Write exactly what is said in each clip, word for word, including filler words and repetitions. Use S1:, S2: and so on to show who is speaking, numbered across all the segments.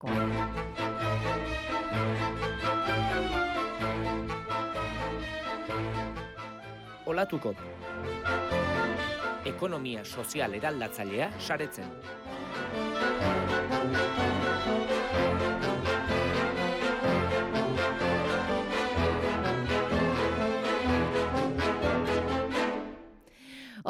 S1: gaurkoa.
S2: Olatuko. Ekonomia sozial eraldatzailea saretzen.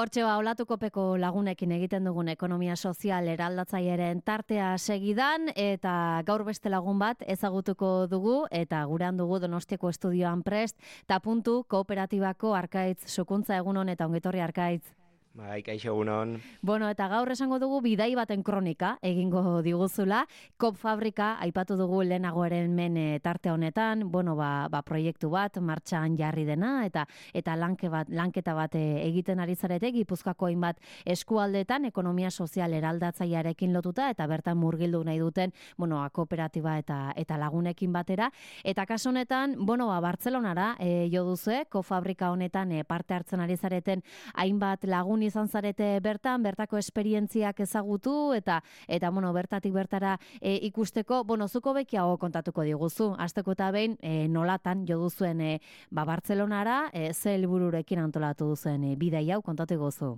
S1: Hortxe ba, Olatukopeko lagunekin egiten dugun ekonomia sozial eraldatzaileren tartea segidan, eta gaur beste lagun bat ezagutuko dugu, eta gurean dugu Donostiako estudioan prest, eta puntu kooperatibako Arkaitz Sukuntza, egunon eta ongetorri Arkaitz.
S3: Bai, kaixo egunon.
S1: Bueno, eta gaur esango dugu bidai baten kronika egingo diguzula. Kop Fabrika aipatu dugu lehenagoaren men tarte honetan, bueno, ba, ba proiektu bat martxan jarri dena eta eta lanke bat, lanketa bat egiten ari zarete Gipuzkoako hainbat eskualdetan ekonomia sozial eraldatzailearekin lotuta eta bertan murgildu nahi duten, bueno, kooperatiba eta eta lagunekin batera. Eta kasu honetan, bueno, ba Bartzelonara e, jo duzu, Kop Fabrika honetan e, parte hartzen ari zareten hainbat lagun izan zarete bertan, bertako esperientziak ezagutu eta eta bueno, bertatik bertara e, ikusteko, bueno, zuko bekiago kontatuko diguzu. Hasteko eta behin e, nolatan jo duzuen e, ba Bartzelonara, e, ze helbururekin antolatu duzuen e, bidai hau kontatu diguzu.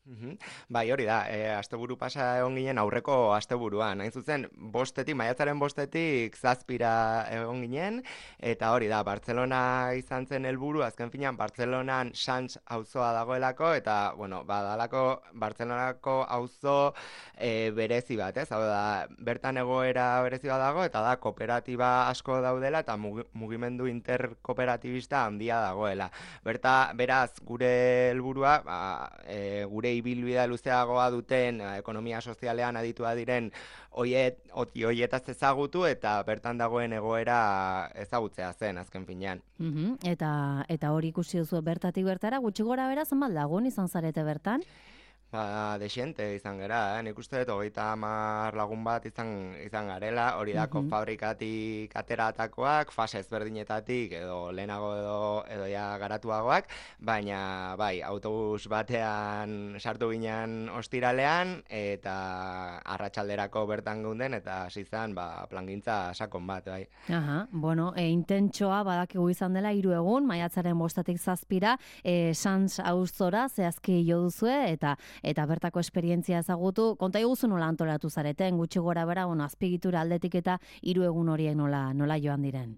S3: Uhum. Bai, hori da, e, asteburu pasa egon ginen aurreko asteburuan. Hain zuzen, bostetik, maiatzaren bostetik zazpira egon ginen, eta hori da, Bartzelona izan zen helburu, azken finean, Bartzelonan Sants auzoa dagoelako, eta, bueno, badalako Bartzelonako auzo e, berezi bat, ez? Hau da, bertan egoera berezi bat dago, eta da, kooperatiba asko daudela, eta mugimendu interkooperatibista handia dagoela. Berta, beraz, gure helburua, ba, e, gure ibilbidea luzeagoa duten ekonomia sozialean aditua diren oiet, oti oietaz ezagutu eta bertan dagoen egoera ezagutzea zen azken finean.
S1: Mm-hmm. Eta eta hori ikusi duzu bertatik bertara, gutxi gora bera zenbat lagun izan zarete bertan?
S3: Ba, desiente izan gara, eh? Nik uste dut hogeita hamar lagun bat izan, izan garela, hori da, Kop Fabrikatik ateratakoak, fase ezberdinetatik edo lehenago edo, edo ja garatuagoak, baina bai, autobus batean sartu ginen ostiralean eta arratsalderako bertan geunden eta hasi zen ba, plangintza sakon bat, bai.
S1: Aha, bueno, e, intentsoa badakigu izan dela hiru egun, maiatzaren bostatik zazpira, e, Sants auzora zehazki jo duzue eta eta bertako esperientzia ezagutu, konta iguzu nola antolatu zareten, gutxi gora bera, bueno, azpigitura aldetik eta hiru egun horiek nola, nola joan diren.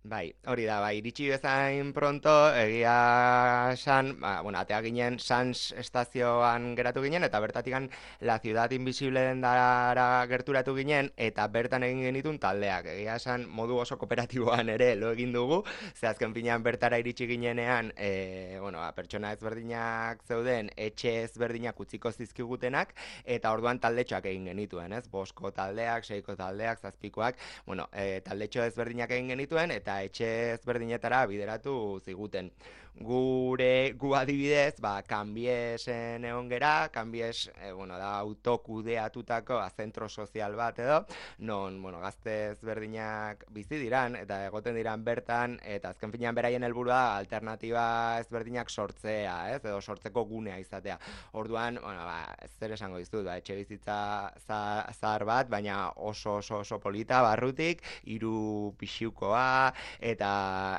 S3: Bai, hori da, bai, iritsi bezain pronto, egia san, ba, bueno, atea ginen Sants estazioan geratu ginen, eta bertatikan La Ciudad Invisible dendara gerturatu ginen, eta bertan egin genitun taldeak. Egia san, modu oso kooperatiboan ere lo egin dugu, ze azken finean bertara iritsi ginenean, e, bueno, ba, pertsona ezberdinak zeuden, etxe ezberdinak utziko zizkigutenak, eta orduan taldetxoak egin genituen, ez? Bosko taldeak, seiko taldeak, zazpikoak, bueno, e, taldetxo ezberdinak egin genituen, eta etxe ezberdinetara bideratu ziguten. Gure, gu adibidez, ba, Kanbiesen egon gera, Kanbies, e, bueno, da autokudeatutako zentro sozial bat edo, non, bueno, gazte ezberdinak bizi diran, eta egoten diran bertan, eta azken finean beraien helburua alternatiba ezberdinak sortzea, ez, edo sortzeko gunea izatea. Orduan, bueno, ba, zer esango dizut, ba, etxe bizitza zahar bat, baina oso oso oso polita, barrutik, hiru pixiukoa, eta,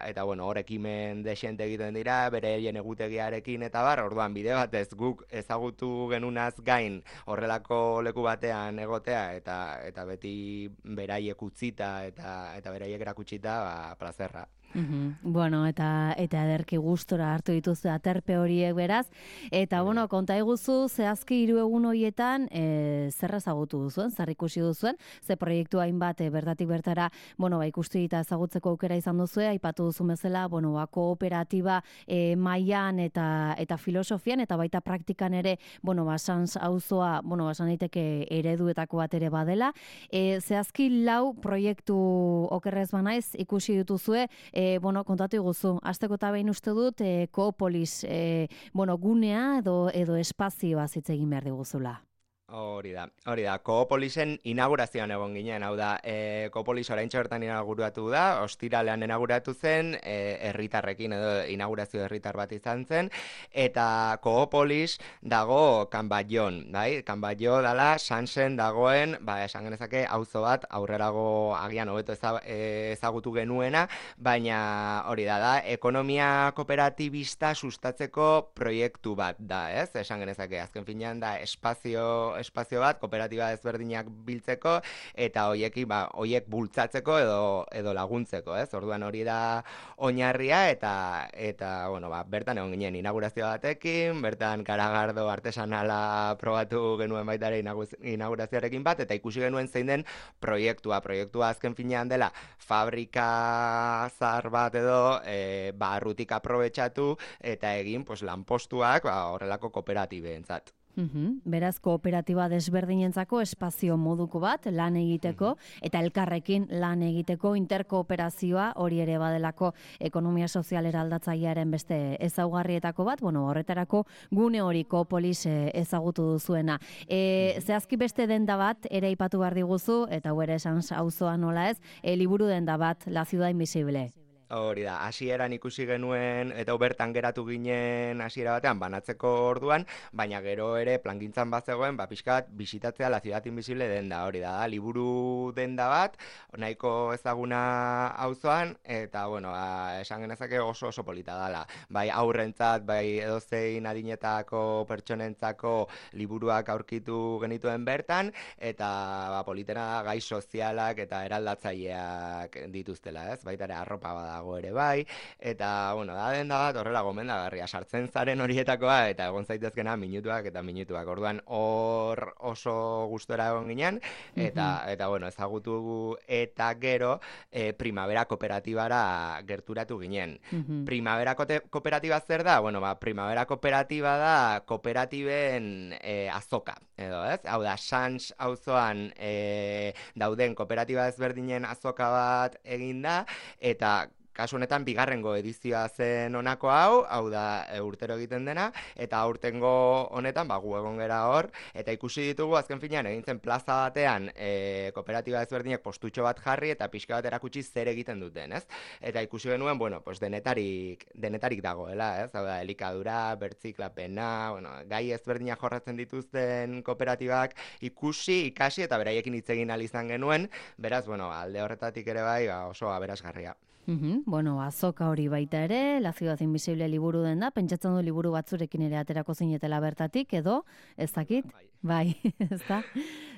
S3: eta bueno, hor ekimen desente egiten dira, bereien egutegiarekin eta bar, orduan bide batez guk ezagutu genunaz gain horrelako leku batean egotea eta eta beti beraiek utzita eta eta beraiek erakutsita, ba, plazerra.
S1: Uhum. Bueno, eta eta ederki gustora hartu dituzte aterpe horiek beraz, eta bueno, konta iguzu zehazki hiru egun horietan e, zer ezagutu duzuen, zer ikusi duzuen, ze proiektu hainbat e, bertatik bertara, bueno, ba ikusti eta ezagutzeko aukera izan duzue, aipatu duzu bezala, bueno, ba kooperatiba e, mailan eta eta filosofian eta baita praktikan ere, bueno, ba Sants auzoa, bueno, ba esan daiteke ereduetako bat ere badela. E, zehazki lau proiektu okerrez banaiz ikusi dituzue, e, E, bueno, kontatu iguzu, hasteko eta behin uste dut, e, Koopolis, e, bueno, gunea edo, edo espazioa hitz egin behar diguzula.
S3: Hori da, hori da, Koopolisen inaugurazioan egon ginen, hau da, e, Koopolis oraintxe bertan inauguratu da, ostiralean inauguratu zen, e, herritarrekin edo inaugurazio herritar bat izan zen, eta Koopolis dago Kanbaion, bai? Kanbaio dala Sansen dagoen, ba, esan genezake auzo bat aurrerago agian hobeto eza, e, ezagutu genuena, baina hori da, da, ekonomia kooperatibista sustatzeko proiektu bat da, ez? Esan genezake, azken finean da espazio espazio bat, kooperatiba ezberdinak biltzeko, eta hoieki, ba, hoiek bultzatzeko edo, edo laguntzeko, ez? Orduan hori da oinarria, eta, eta bueno, ba, bertan egon ginen inaugurazio batekin, bertan garagardo artesanala probatu genuen baita ere inaugurazioarekin bat, eta ikusi genuen zein den proiektua. Proiektua azken finean dela fabrika zahar bat edo e, barrutik aprobetxatu, eta egin pues, lanpostuak ba, horrelako kooperatibeentzat.
S1: Uhum. Beraz, kooperatiba desberdinentzako espazio moduko bat lan egiteko, eta elkarrekin lan egiteko interkooperazioa hori ere badelako ekonomia sozial eraldatzailearen beste ezaugarrietako bat, bueno, horretarako gune hori Koopolis ezagutu duzuena. E, zehazki beste denda bat ere aipatu behar diguzu, eta hau ere esan auzoa nola ez, e, liburu denda bat, La Ciudad Invisible.
S3: Hori da, hasieran ikusi genuen, eta bertan geratu ginen hasiera batean banatzeko orduan, baina gero ere plangintzan bat zegoen, ba, pixkat, bisitatzea La Ciudad Invisible denda, hori da, da, liburu denda bat, nahiko ezaguna auzoan, eta, bueno, ba, esan genezake oso oso polita dala. Bai aurrentzat, bai edozein adinetako pertsonentzako liburuak aurkitu genituen bertan, eta ba, politena da gai sozialak eta eraldatzaileak dituztela, ez? Baita ere arropa bada dago ere bai, eta, bueno, da denda bat horrela gomendagarria, sartzen zaren horietakoa, eta egon zaitezkena minutuak eta minutuak, orduan hor oso gustora egon ginen, eta, mm-hmm. eta bueno, ezagutu eta gero e, Primavera kooperatibara gerturatu ginen. Mm-hmm. Primavera kooperatiba zer da? Bueno, ba, Primavera kooperatiba da kooperatiben e, azoka, edo, ez? Hau da, Sans auzoan e, dauden kooperatiba ezberdinen azoka bat egin da, eta kasu honetan bigarrengo edizioa zen honako hau, hau da e, urtero egiten dena, eta aurtengo honetan ba, gu egon gera hor, eta ikusi ditugu azken finean egin zen plaza batean e, kooperatiba ezberdinek postutxo bat jarri eta pixka bat erakutsi zer egiten duten, ez? Eta ikusi genuen, bueno, pues denetarik, denetarik dagoela, ez? Hau da, elikadura, bertziklapena, bueno, gai ezberdinak jorratzen dituzten kooperatibak ikusi, ikasi eta beraiekin hitz egin ahal izan genuen, beraz, bueno, alde horretatik ere bai, ba, oso aberasgarria.
S1: Uhum, bueno, azoka hori baita ere, La Ciudad Invisible liburu den da, pentsatzen du liburu batzurekin ere aterako zinetela bertatik, edo, ez dakit? Bai, ez da?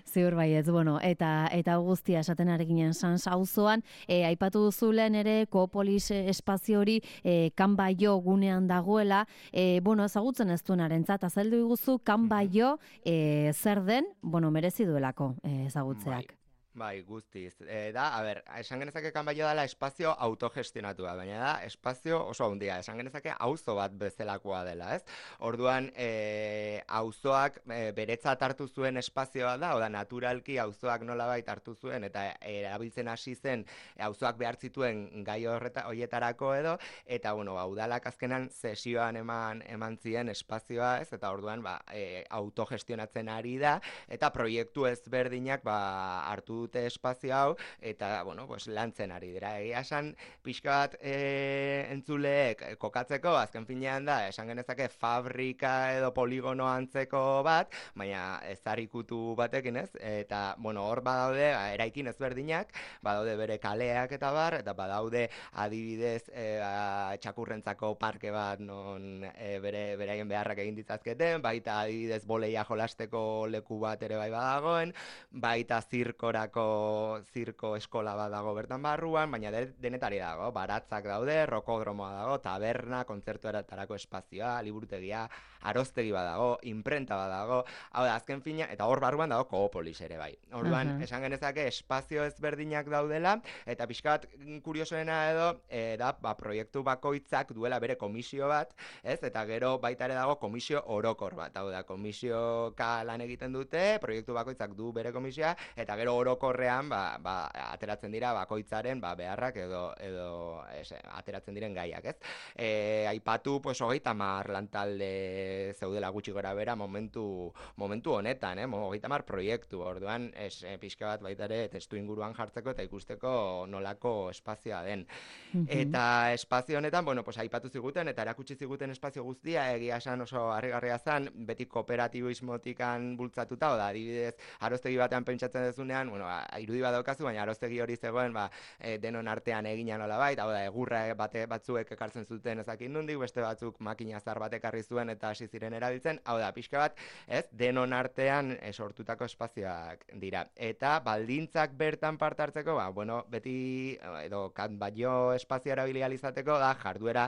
S1: Ziur bai ez, bueno, eta eta guztia esaten arekinen Sans auzoan, e, aipatu duzulen ere Koopolis espazio hori e, Kanbaio gunean dagoela, e, bueno, ezagutzen ez duenarentzat, azaldu iguzu Kanbaio e, zer den, bueno, merezi duelako e, ezagutzeak.
S3: Bai. Bai, guztiz. E, da, a ber, esan genezake Kanbaio dela espazio autogestionatua, baina da, espazio oso handia, esan genezake auzo bat bezalakoa dela, ez? Orduan, e, auzoak e, beretzat hartu zuen espazioa da, oda naturalki auzoak nolabait hartu zuen, eta erabiltzen hasi zen auzoak behar zituen gai horreta, horietarako edo, eta, bueno, ba, udalak azkenan zesioan eman, eman zien espazioa, ez? Eta orduan, ba, e, autogestionatzen ari da, eta proiektu ezberdinak, ba, hartu dute espazio hau, eta, bueno, pues, lantzen ari dira. Egia esan, pixka bat e, entzuleek kokatzeko, azken finean da, esan genezake fabrika edo poligono antzeko bat, baina ezarrikutu batekin ez, eta, bueno, hor badaude, eraikin ezberdinak, badaude bere kaleak eta bar, eta badaude adibidez e, a, txakurrentzako parke bat non e, bere beraien beharrak egin ditzazketen, baita adibidez boleia jolasteko leku bat ere bai badagoen, baita zirkorako zirko eskola bat dago bertan barruan, baina de, denetari dago, baratzak daude, rokodromoa dago, taberna, kontzertuetarako espazioa, liburutegia, aroztegi bat dago, imprenta bat dago, hau da, azken fina, eta hor barruan dago Koopolis ere bai. Orduan, uh-huh. esan genezake espazio ezberdinak daudela, eta pixkat kuriosoena edo, e, da, ba, proiektu bakoitzak duela bere komisio bat, ez, eta gero baita ere dago komisio orokor bat, hau da, komisioka lan egiten dute, proiektu bakoitzak du bere komisioa, eta gero orokor orokorrean ba, ba, ateratzen dira bakoitzaren ba, beharrak edo, edo ez, ateratzen diren gaiak, ez? E, aipatu, pues, hogeita hamar lantalde zeudela gutxi gora bera momentu, momentu honetan, eh? hogeita hamar proiektu, orduan, ez, e, pixka bat baita ere testu inguruan jartzeko eta ikusteko nolako espazioa den.
S1: Mhm.
S3: Eta espazio honetan, bueno, pues, aipatu ziguten eta erakutsi ziguten espazio guztia, egia esan oso harrigarria zen, beti kooperatibismotikan bultzatuta, oda, adibidez, aroztegi batean pentsatzen dezunean, bueno, ba, irudi bat daukazu, baina aroztegi hori zegoen, ba, e, denon artean egina nola bait, hau da, egurra bate, batzuek ekartzen zuten ezakin nundik, beste batzuk makina zar bat ekarri zuen eta hasi ziren erabiltzen, hau da, pixka bat, ez, denon artean e, sortutako espazioak dira. Eta baldintzak bertan parte hartzeko, ba, bueno, beti, edo, kan baino espazio erabili ahal izateko, da, jarduera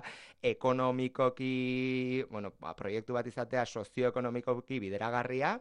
S3: ekonomikoki, bueno, ba, proiektu bat izatea sozioekonomikoki bideragarria,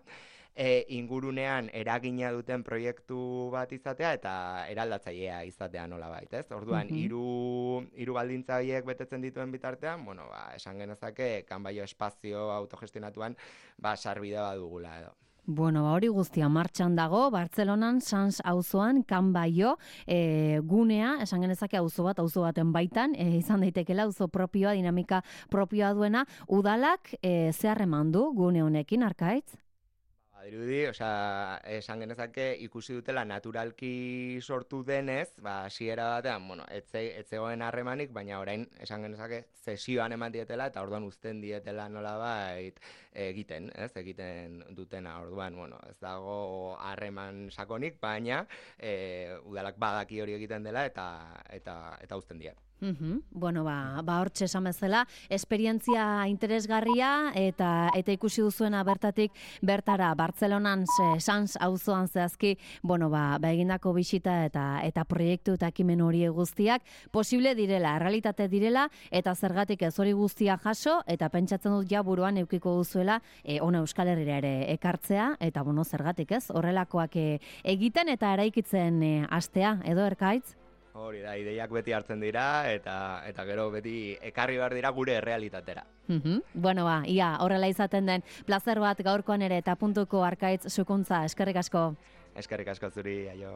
S3: e, ingurunean eragina duten proiektu bat izatea eta eraldatzailea izatea nolabait, ez? Orduan,
S1: Mhm.
S3: hiru hiru baldintza horiek betetzen dituen bitartean, bueno, ba, esan genezake kanbaio espazio autogestionatuan ba sarbide badugula edo.
S1: Bueno, ba, hori guztia martxan dago, Bartzelonan, Sans auzoan, Kanbaio, e, gunea, esan genezake auzo bat, auzo baten baitan, e, izan daitekela auzo propioa, dinamika propioa duena, udalak e, zehar eman du gune honekin, Arkaitz?
S3: Dirudi, osea, esan genezake ikusi dutela naturalki sortu denez, ba, hasiera batean, bueno, etze, etzegoen harremanik, baina orain esan genezake zesioan eman dietela eta orduan uzten dietela nolabait egiten, ez, egiten dutena. Orduan, bueno, ez dago harreman sakonik, baina e, udalak badaki hori egiten dela eta eta eta uzten die.
S1: Uhum. Bueno, ba, ba hortxe esan bezala, esperientzia interesgarria eta eta ikusi duzuena bertatik bertara Bartzelonan Sans auzoan zehazki, bueno, ba, ba egindako bisita eta eta proiektu eta ekimen hori guztiak posible direla, errealitate direla eta zergatik ez hori guztia jaso eta pentsatzen dut ja buruan eukiko duzuela e, ona Euskal Herrira ere ekartzea eta bueno, zergatik ez, horrelakoak e, egiten eta eraikitzen e, hastea edo Erkaitz?
S3: Hori da, ideiak beti hartzen dira eta eta gero beti ekarri behar dira gure errealitatera.
S1: Mm-hmm. Bueno, ba, ia, horrela izaten den plazer bat gaurkoan ere eta puntuko Arkaitz Sukuntza, eskerrik asko.
S3: Eskerrik asko zuri, aio.